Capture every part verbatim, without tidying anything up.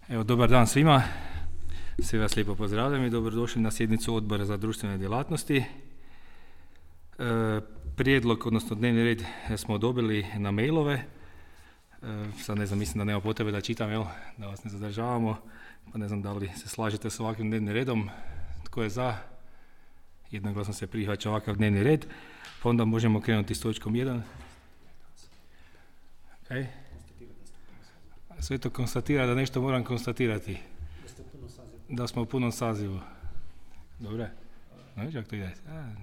Evo, dobar dan svima. Sve vas lijepo pozdravljam i dobrodošli na sjednicu Odbora za društvene djelatnosti. E, prijedlog, odnosno dnevni red smo dobili na mailove. E, sad ne znam, mislim da nema potrebe da čitam, jel? Da vas ne zadržavamo. Pa ne znam da li se slažete s ovakvim dnevnim redom. Tko je za? Jednoglasno se prihvaća ovakav dnevni red. Pa onda možemo krenuti s točkom jedan. Okay. Sve to konstatira da nešto moram konstatirati. Da smo u punom sazivu. Dobre? No, čak to ide. A,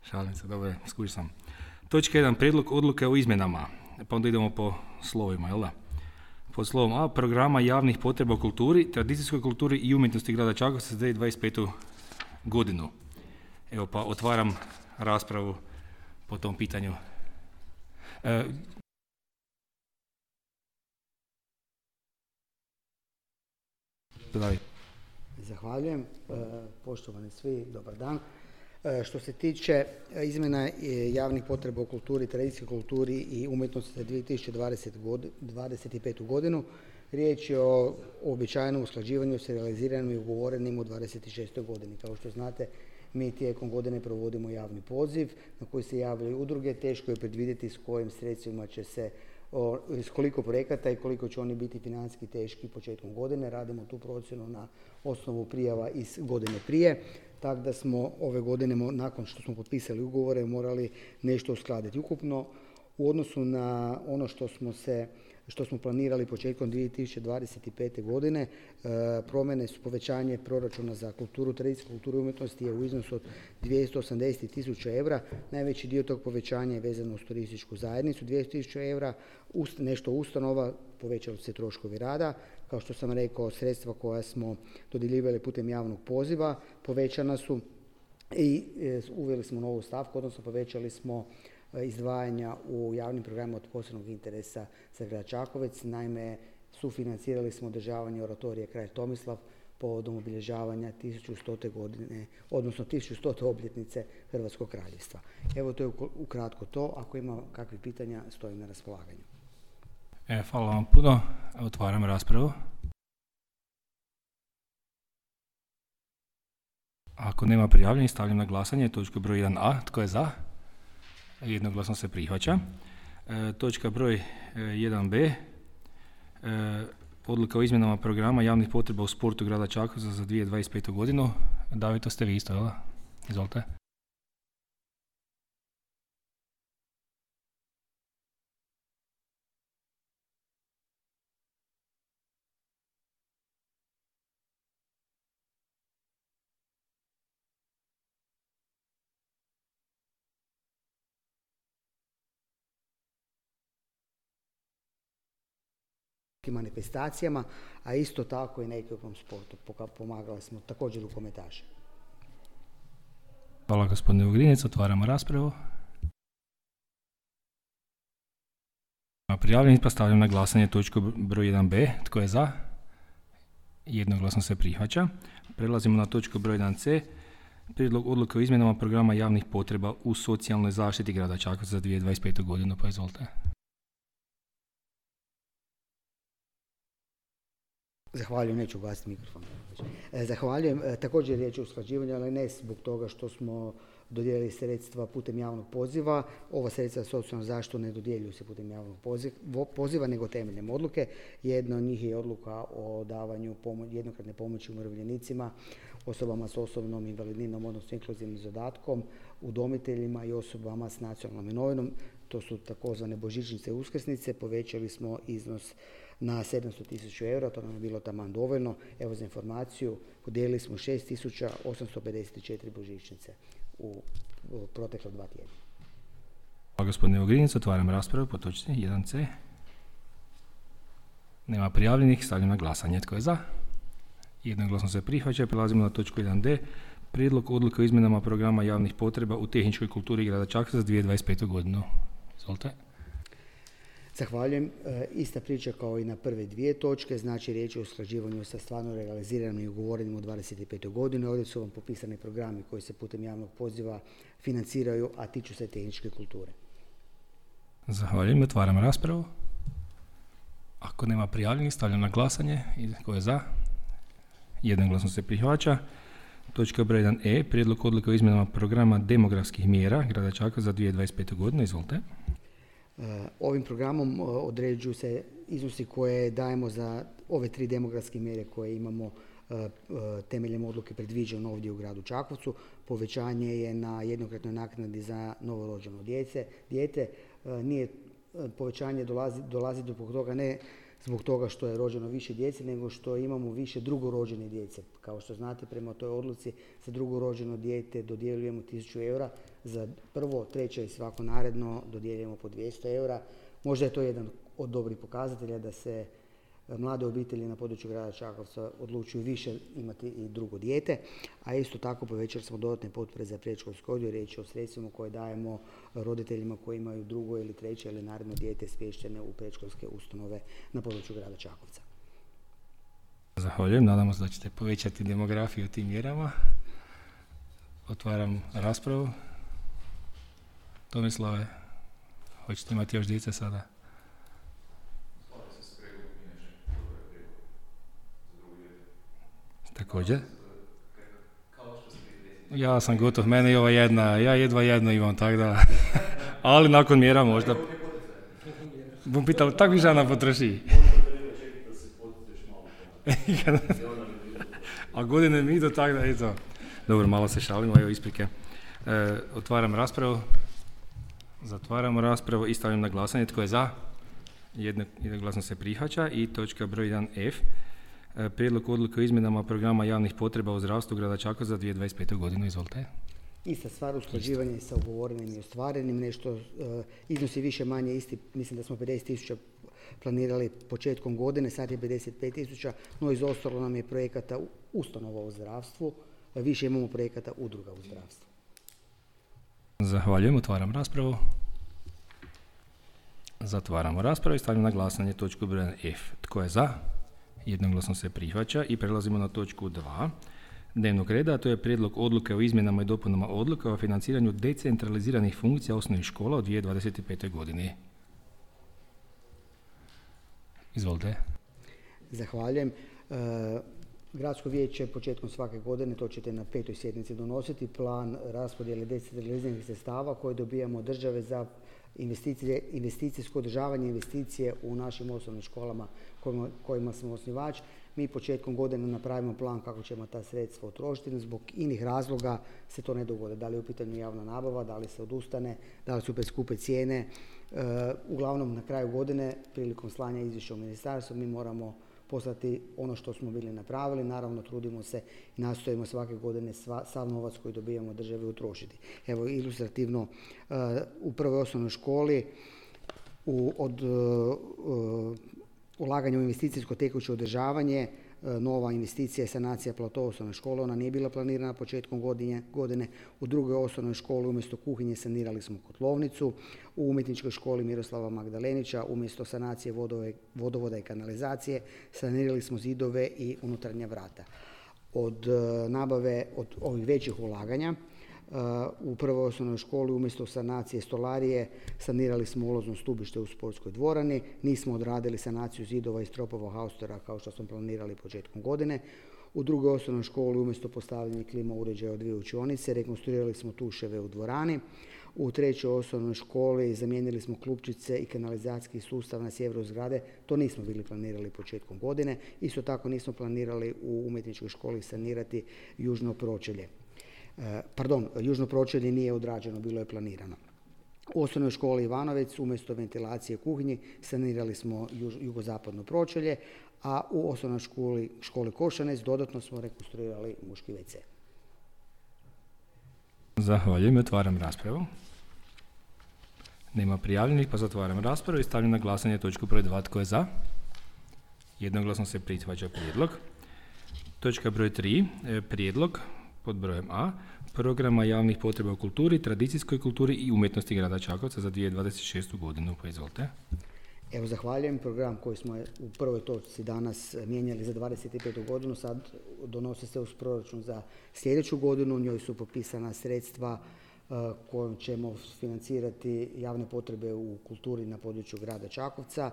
šalim se, dobro, skuži sam. Točka jedan. Prijedlog odluke o izmjenama. Pa onda idemo po slovima, jel da? Pod slovom A. Programa javnih potreba u kulturi, tradicijskoj kulturi i umjetnosti grada Čakovca za dvije tisuće dvadeset petu godinu. Evo pa otvaram raspravu po tom pitanju. E, Zahvaljujem. Poštovani svi, dobar dan. Što se tiče izmjena javnih potreba u kulturi, tradicijskoj kulturi i umjetnosti za dvije tisuće dvadeset petu godinu, riječ je o uobičajenom usklađivanju s realiziranim i ugovorenim u dvadeset šestoj godini. Kao što znate, mi tijekom godine provodimo javni poziv na koji se javljaju udruge. Teško je predvidjeti s kojim sredstvima će se, o, s koliko projekata i koliko će oni biti financijski teški početkom godine. Radimo tu procjenu na osnovu prijava iz godine prije, tako da smo ove godine, nakon što smo potpisali ugovore, morali nešto uskladiti. Ukupno, u odnosu na ono što smo se što smo planirali početkom dvije tisuće dvadeset pete godine, e, promjene su povećanje proračuna za kulturu, tradicijsku kulturu i umjetnosti je u iznosu od dvjesto osamdeset tisuća eura. Najveći dio tog povećanja je vezano uz turističku zajednicu, dvjesto tisuća eura, ust, nešto ustanova, povećali su se troškovi rada. Kao što sam rekao, sredstva koja smo dodjeljivali putem javnog poziva povećana su i e, uveli smo novu stavku, odnosno povećali smo izdvajanja u javnim programima od posebnog interesa za grad Čakovec. Naime, sufinancirali smo održavanje oratorije Kralj Tomislav povodom obilježavanja tisuću stote godine, odnosno tisuću stote obljetnice Hrvatskog kraljevstva. Evo, to je ukratko to. Ako ima kakvih pitanja, stojim na raspolaganju. E, hvala vam puno. Otvaram raspravu. Ako nema prijavljenih, stavljam na glasanje točku broj jedan a. Tko je za? Jednoglasno se prihvaća. E, točka broj jedan be. E, odluka o izmjenama programa javnih potreba u sportu grada Čakovca za dvije tisuće dvadeset petu godinu. David, to ste vi isto, jel? Izvolite. Manifestacijama, a isto tako i na ekipnom sportu. Pomagali smo također rukometaše. Hvala gospodine Vugrinec, otvaramo raspravu. Prijavljeni, pa stavljam na glasanje točku broj jedan be. Tko je za? Jednoglasno se prihvaća. Prelazimo na točku broj jedan ce. Prijedlog odluke o izmjenama programa javnih potreba u socijalnoj zaštiti grada Čakovca za dvije tisuće dvadeset petu godinu, pa izvolite. Zahvaljujem, neću ugasiti mikrofon. Zahvaljujem. Također riječ je o usklađivanju, ali ne zbog toga što smo dodijelili sredstva putem javnog poziva. Ova sredstva za socijalnu zaštitu ne dodjeljuju se putem javnog poziva, nego temeljem odluke. Jedna od njih je odluka o davanju pomo- jednokratne pomoći umirovljenicima, osobama s osobnom invalidninom, odnosno inkluzivnim zadatkom, udomiteljima i osobama s nacionalnom imovinom. To su takozvane božićnice i uskrsnice. Povećali smo iznos na sedamsto tisuća eura, to nam je bilo taman dovoljno. Evo, za informaciju, podijelili smo šest tisuća osamsto pedeset četiri božićnice u, u protekla dva tjedna. Hvala gospodine Vugrinec, otvaram raspravu po točci jedan ce. Nema prijavljenih, stavljam na glasanje. Tko je za? Jednoglasno se prihvaća. Prelazimo na točku jedan de. Prijedlog odluke o izmjenama programa javnih potreba u tehničkoj kulturi grada Čakovca za dvije tisuće dvadeset petu godinu. Izvolite. Zahvaljujem. E, ista priča kao i na prve dvije točke, znači riječ je o usklađivanju sa stvarno realiziranim i ugovorenim u dvadeset petoj godini. Ovdje su vam popisani programi koji se putem javnog poziva financiraju, a tiču se tehničke kulture. Zahvaljujem. Otvaram raspravu. Ako Ako nema prijavljenih, stavljam na glasanje. I tko je za? Jednoglasno se prihvaća. Točka broj jedan E, prijedlog odluke o izmjenama programa demografskih mjera grada Čakovca za dvije tisuće dvadeset pete. godine. Izvolite. Ovim programom određuju se iznosi koje dajemo za ove tri demografske mjere koje imamo temeljem odluke predviđeno ovdje u gradu Čakovcu. Povećanje je na jednokratnoj naknadi za novorođeno djece, dijete. Nije povećanje dolazi, dolazi do toga ne zbog toga što je rođeno više djece, nego što imamo više drugorođene djece. Kao što znate, prema toj odluci za drugorođeno dijete dodjeljujemo tisuću eura, za prvo, treće i svako naredno dodjeljujemo po dvjesto eura. Možda je to jedan od dobrih pokazatelja da se mlade obitelji na području grada Čakovca odlučuju više imati i drugo dijete, a isto tako povećali smo dodatne potpore za predškolski odgoj, riječ je o sredstvima koje dajemo roditeljima koji imaju drugo ili treće ili naredno dijete smještene u predškolske ustanove na području grada Čakovca. Zahvaljujem, nadamo se da ćete povećati demografiju tim mjerama. Otvaram raspravu. Tomislave, hoćete imati još djece sada? Također? Ja sam gotov, mene je ova jedna, ja jedva jedno imam, tako da, ali nakon mjera možda. Bom pitao, tak bi žena potroši. A godine mi idu, tako da, eto. Dobro, malo se šalimo, evo isprike. E, otvaram raspravu, zatvaramo raspravu i stavljam na glasanje. Tko je za? Jednoglasno se prihvaća. I točka broj jedan F. Prijedlog odluke o izmjenama programa javnih potreba u zdravstvu grada Čakovca za dvije tisuće dvadeset pete. godinu. Izvolite. Ista stvar, usklađivanje sa ugovorenim i ostvarenim, nešto uh, iznosi više manje isti, mislim da smo pedeset tisuća planirali početkom godine, sad je pedeset pet tisuća, no izostalo nam je projekata ustanova u zdravstvu, više imamo projekata udruga u zdravstvu. Zahvaljujem, otvaram raspravu. Zatvaramo raspravu i stavljam na glasanje točku broj F. Tko je za? Jednoglasno se prihvaća i prelazimo na točku dva dnevnog reda, a to je prijedlog odluke o izmjenama i dopunama odluka o financiranju decentraliziranih funkcija osnovnih škola u dvije tisuće dvadeset pete. godini. Izvolite. Zahvaljujem. E, Gradsko vijeće početkom svake godine, to ćete na petoj sjednici donositi, plan raspodjele decentraliziranih sredstava koje dobijamo od države za investicije, investicijsko održavanje, investicije u našim osnovnim školama kojima, kojima smo osnivač. Mi početkom godine napravimo plan kako ćemo ta sredstva utrošiti, zbog inih razloga se to ne dogode. Da li je u pitanju javna nabava, da li se odustane, da li su preskupe cijene. E, uglavnom na kraju godine, prilikom slanja izvješća u ministarstvo, mi moramo poslati ono što smo bili napravili. Naravno, trudimo se i nastojimo svake godine sva, sav novac koji dobijamo od države utrošiti. Evo, ilustrativno, uh, u prvoj osnovnoj školi u, od uh, ulaganja u investicijsko tekuće održavanje, uh, nova investicija je sanacija platoa osnovne škole, ona nije bila planirana početkom godine, godine. U drugoj osnovnoj školi umjesto kuhinje sanirali smo kotlovnicu, u umjetničkoj školi Miroslava Magdalenića umjesto sanacije vodove, vodovoda i kanalizacije sanirali smo zidove i unutarnja vrata. Od uh, nabave, od ovih većih ulaganja, uh, u prvoj osnovnoj školi umjesto sanacije stolarije sanirali smo ulazno stubište u sportskoj dvorani, nismo odradili sanaciju zidova i stropova haustora kao što smo planirali početkom godine. U drugoj osnovnoj školi umjesto postavljanja klima uređaja od dvije učionice rekonstruirali smo tuševe u dvorani. U trećoj osnovnoj školi zamijenili smo klupčice i kanalizacijski sustav na sjeveru zgrade. To nismo bili planirali početkom godine. Isto tako nismo planirali u umjetničkoj školi sanirati južno pročelje. E, pardon, južno pročelje nije odrađeno, bilo je planirano. U osnovnoj školi Ivanovec umjesto ventilacije kuhinji sanirali smo juž, jugozapadno pročelje, a u osnovnoj školi, školi Košanec dodatno smo rekonstruirali muški ve ce. Zahvaljujem, otvaram raspravu. Nema prijavljenih, pa zatvaram raspravu i stavljam na glasanje točku broj dva. Tko je za? Jednoglasno se prihvaća prijedlog. Točka broj tri. Prijedlog pod brojem A. Programa javnih potreba u kulturi, tradicijskoj kulturi i umjetnosti grada Čakovca za dvije tisuće dvadeset šestu. godinu. Pa izvolite. Evo, zahvaljujem. Program koji smo u prvoj točci danas mijenjali za dvadeset petu. godinu, sad donosi se uz proračun za sljedeću godinu. U njoj su popisana sredstva uh, kojom ćemo financirati javne potrebe u kulturi na području grada Čakovca.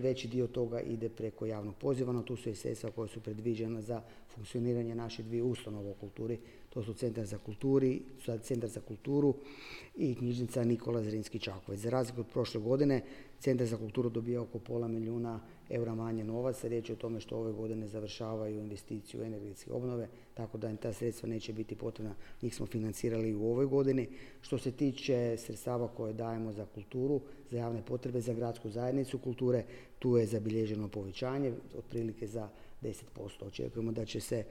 veći dio toga ide preko javnog poziva, no tu su i sredstva koja su predviđena za funkcioniranje naših dvije ustanova u kulturi. To su Centar za, kulturi, Centar za kulturu i knjižnica Nikola Zrinski Čakovec. Za razliku od prošle godine, Centar za kulturu dobija oko pola milijuna eura manje novaca. Riječ je o tome što ove godine završavaju investiciju u energetske obnove, tako da im ta sredstva neće biti potrebna. Njih smo financirali i u ovoj godini. Što se tiče sredstava koje dajemo za kulturu, za javne potrebe, za gradsku zajednicu kulture, tu je zabilježeno povećanje, otprilike za deset posto. Očekujemo da će se,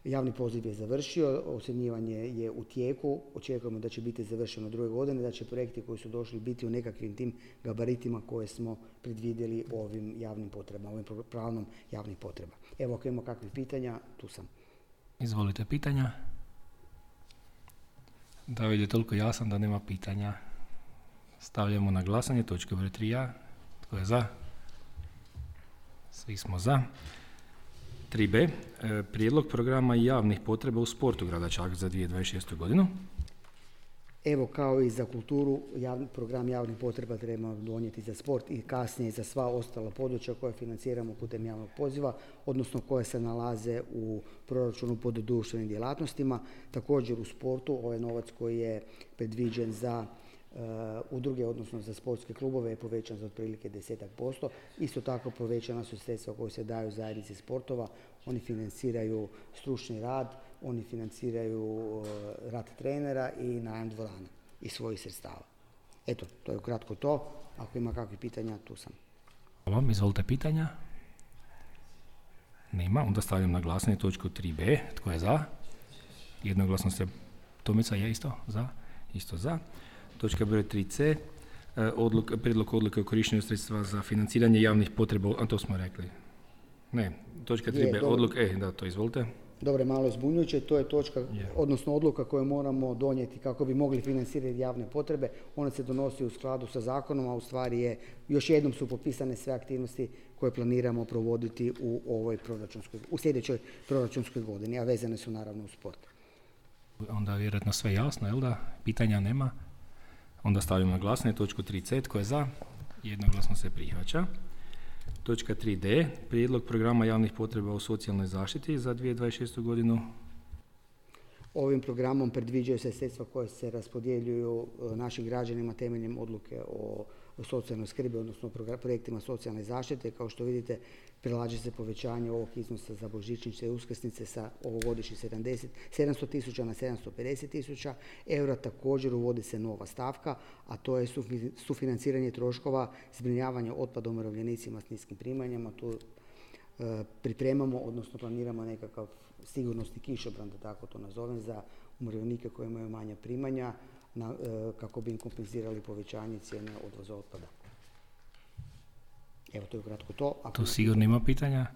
javni poziv je završio, ocjenjivanje je u tijeku, očekujemo da će biti završeno druge godine, da će projekti koji su došli biti u nekakvim tim gabaritima koje smo predvidjeli ovim javnim potrebama, ovim planom javnih potreba. Evo, ako imamo kakvih pitanja, tu sam. Izvolite pitanja. David je toliko jasan da nema pitanja. Stavljamo na glasanje točke broj tri a. Tko je za? Svi smo za. tri b. Prijedlog programa javnih potreba u sportu grada Čakovca za dvije tisuće dvadeset šestu godinu. Evo, kao i za kulturu, javni, program javnih potreba trebamo donijeti za sport i kasnije za sva ostala područja koja financiramo putem javnog poziva, odnosno koje se nalaze u proračunu pod društvenim djelatnostima. Također u sportu, ovaj novac koji je predviđen za Uh, udruge, odnosno za sportske klubove, je povećan za otprilike deset posto. Isto tako povećana su sredstva koje se daju zajednici sportova. Oni financiraju stručni rad, oni financiraju uh, rad trenera i najam dvorana iz svojih sredstava. Eto, to je ukratko to. Ako ima kakvih pitanja, tu sam. Hvala, izvolite pitanja. Nema, onda stavljam na glasanje točku tri b. Tko je za? Jednoglasno se, Tomica je isto za? Isto za. Točka broj tri c. Odluk, prijedlog odluke o korištenju sredstva za financiranje javnih potreba, a to smo rekli. Ne, točka tri b. Odluk, e, da, to izvolite. Dobro, malo je zbunjujuće, to je točka, yeah. odnosno odluka koju moramo donijeti kako bi mogli financirati javne potrebe. Ona se donosi u skladu sa zakonom, a u stvari je, još jednom su popisane sve aktivnosti koje planiramo provoditi u ovoj proračunskoj, u sljedećoj proračunskoj godini, a vezane su naravno u sport. Onda je vjerojatno sve jasno, jel da? Pitanja nema? Onda stavljamo na glasanje točku tri c. Tko je za? Jednoglasno se prihvaća. Točka tri d. Prijedlog programa javnih potreba u socijalnoj zaštiti za dvije tisuće dvadeset šestu godinu. Ovim programom predviđaju se sredstva koje se raspodjeljuju našim građanima temeljem odluke o socijalnoj skrbi, odnosno projektima socijalne zaštite. Kao što vidite, prilaže se povećanje ovog iznosa za božićnice i uskrsnice sa ovogodišnjih sedamsto tisuća na sedamsto pedeset tisuća eura. Također uvodi se nova stavka, a to je sufinanciranje troškova zbrinjavanja otpada umirovljenicima s niskim primanjima. Tu e, pripremamo, odnosno planiramo nekakav sigurnosni kišobran, da tako to nazovem, za umirovljenike koji imaju manja primanja, na, e, kako bi im kompenzirali povećanje cijene odvoza otpada. Evo, to je ukratko to. Ako tu sigurno ima pitanja?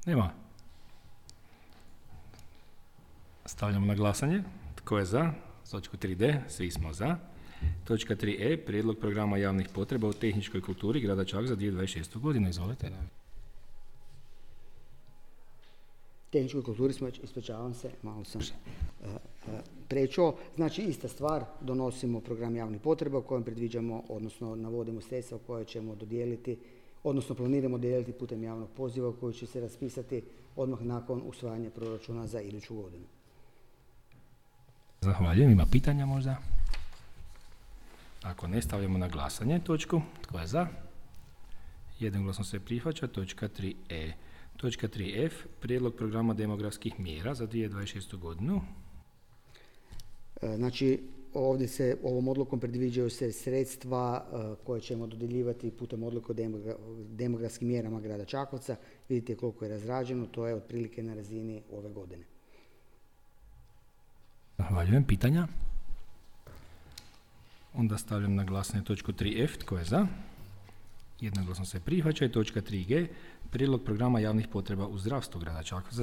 Nema. Stavljamo na glasanje. Tko je za? Točku tri d. Svi smo za. Točka tri e. Prijedlog programa javnih potreba u tehničkoj kulturi grada Čakovca za dvije tisuće dvadeset šestu godinu. Izvolite. Tehničkoj kulturi smo, ispričavam se, malo sam uh, uh, prečuo. Znači, ista stvar, donosimo program javnih potreba u kojem predviđamo, odnosno navodimo sredstva koje ćemo dodijeliti, odnosno planiramo dodijeliti putem javnog poziva koji će se raspisati odmah nakon usvajanja proračuna za iduću godinu. Zahvaljujem. Ima pitanja možda? Ako ne, stavljamo na glasanje točku. Tko je za? Jednoglasno se prihvaća. Točka tri e. Točka tri f. Prijedlog programa demografskih mjera za dvije tisuće dvadeset šestu godinu. Znači, ovdje se ovom odlukom predviđaju se sredstva koje ćemo dodjeljivati putem odluke o demografskim mjerama grada Čakovca. Vidite koliko je razrađeno, to je otprilike na razini ove godine. Zahvaljujem. Pitanja? Onda stavljam na glasanje točku tri f. Tko je za? Jednoglasno se prihvaća. Točka tri g. Prijedlog programa javnih potreba u zdravstvu grada Čakovca.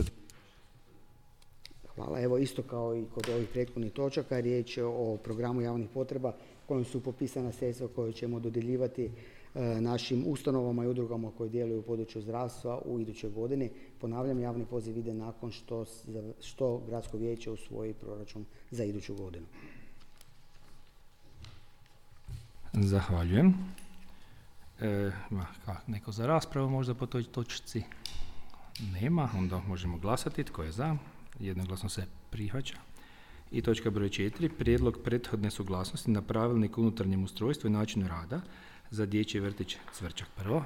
Hvala. Evo, isto kao i kod ovih prethodnih točaka, riječ je o programu javnih potreba kojim su popisana sredstva koje ćemo dodjeljivati e, našim ustanovama i udrugama koji djeluju u području zdravstva u idućoj godini. Ponavljam, javni poziv ide nakon što, što Gradsko vijeće usvoji proračun za iduću godinu. Zahvaljujem. E, ima neko za raspravu možda po toj točci? Nema, onda možemo glasati. Tko je za? Jednoglasno se prihvaća. I točka broj četiri. Prijedlog prethodne suglasnosti na pravilnik o unutarnjem ustrojstvu i načinu rada za dječji vrtić Cvrčak. Prvo.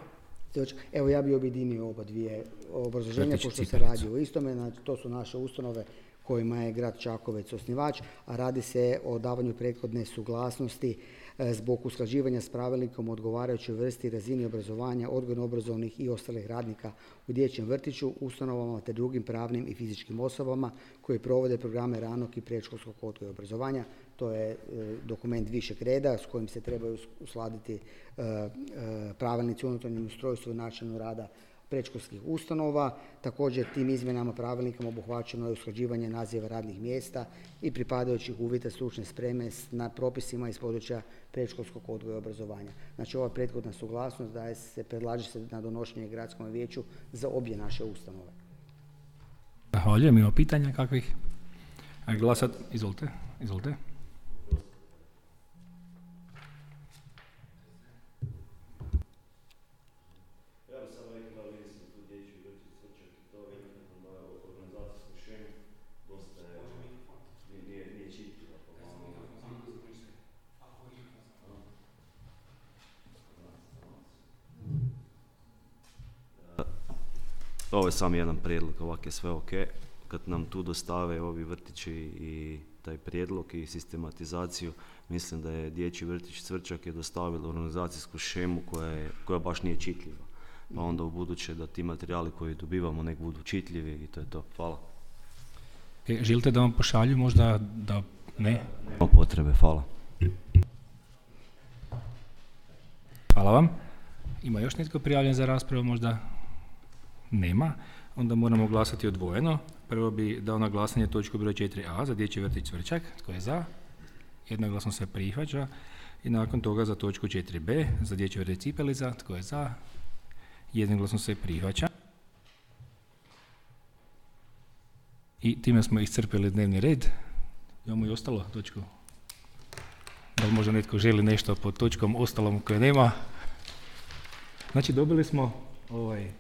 Evo, ja bi objedinio oba dvije obrazloženja, pošto se radi o istome. Znači, to su naše ustanove kojima je grad Čakovec osnivač, a radi se o davanju prethodne suglasnosti zbog usklađivanja s pravilnikom odgovarajućoj vrsti i razini obrazovanja odgojno-obrazovnih i ostalih radnika u dječjem vrtiću, ustanovama te drugim pravnim i fizičkim osobama koji provode programe ranog i predškolskog odgoja i obrazovanja. To je e, dokument višeg reda s kojim se trebaju uskladiti e, e, pravilnici o unutarnjem ustrojstvu i načinu rada predškolskih ustanova. Također tim izmjenama pravilnikom obuhvaćeno je usklađivanje naziva radnih mjesta i pripadajućih uvjeta stručne spreme na propisima iz područja predškolskog odgoja i obrazovanja. Znači, ova prethodna suglasnost daje se, predlaže se na donošenje gradskom vijeću za obje naše ustanove. Zahvaljujem. Ima pitanja kakvih? A glasat, izvolite, izvolite. Ovo je samo jedan prijedlog, ovak je sve ok. Kad nam tu dostave ovi vrtići i taj prijedlog i sistematizaciju, mislim da je dječji vrtić Cvrčak je dostavila organizacijsku šemu koja, je, koja baš nije čitljiva. Pa onda u buduće da ti materijali koji dobivamo nek budu čitljivi i to je to. Hvala. E, želite da vam pošalju možda da ne? Nema potrebe, hvala. Hvala vam. Ima još netko prijavljen za raspravu možda? Nema. Onda moramo glasati odvojeno. Prvo bi dao na glasanje točku broj četiri a za dječji vrtić Cvrčak. Tko je za? Jednoglasno se prihvaća. I nakon toga za točku četiri be za dječji vrtić Cipelica. Tko je za? Jednoglasno se prihvaća. I time smo iscrpili dnevni red. Imamo i ostalo točku. Da li možda netko želi nešto pod točkom ostalom koje nema? Znači, dobili smo ovaj,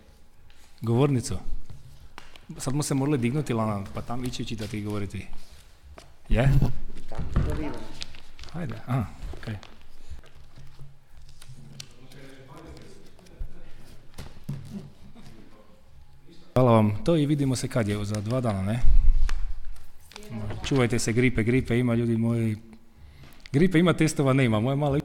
govornicu. Sad smo se morali dignuti, Lana, pa tam ići čitati i govoriti. Je? Hajde, aha, okej. Okay. Hvala vam. To i vidimo se kad je, za dva dana, ne? Čuvajte se gripe, gripe ima, ljudi moji. Gripe ima, testova nema. Moje malo...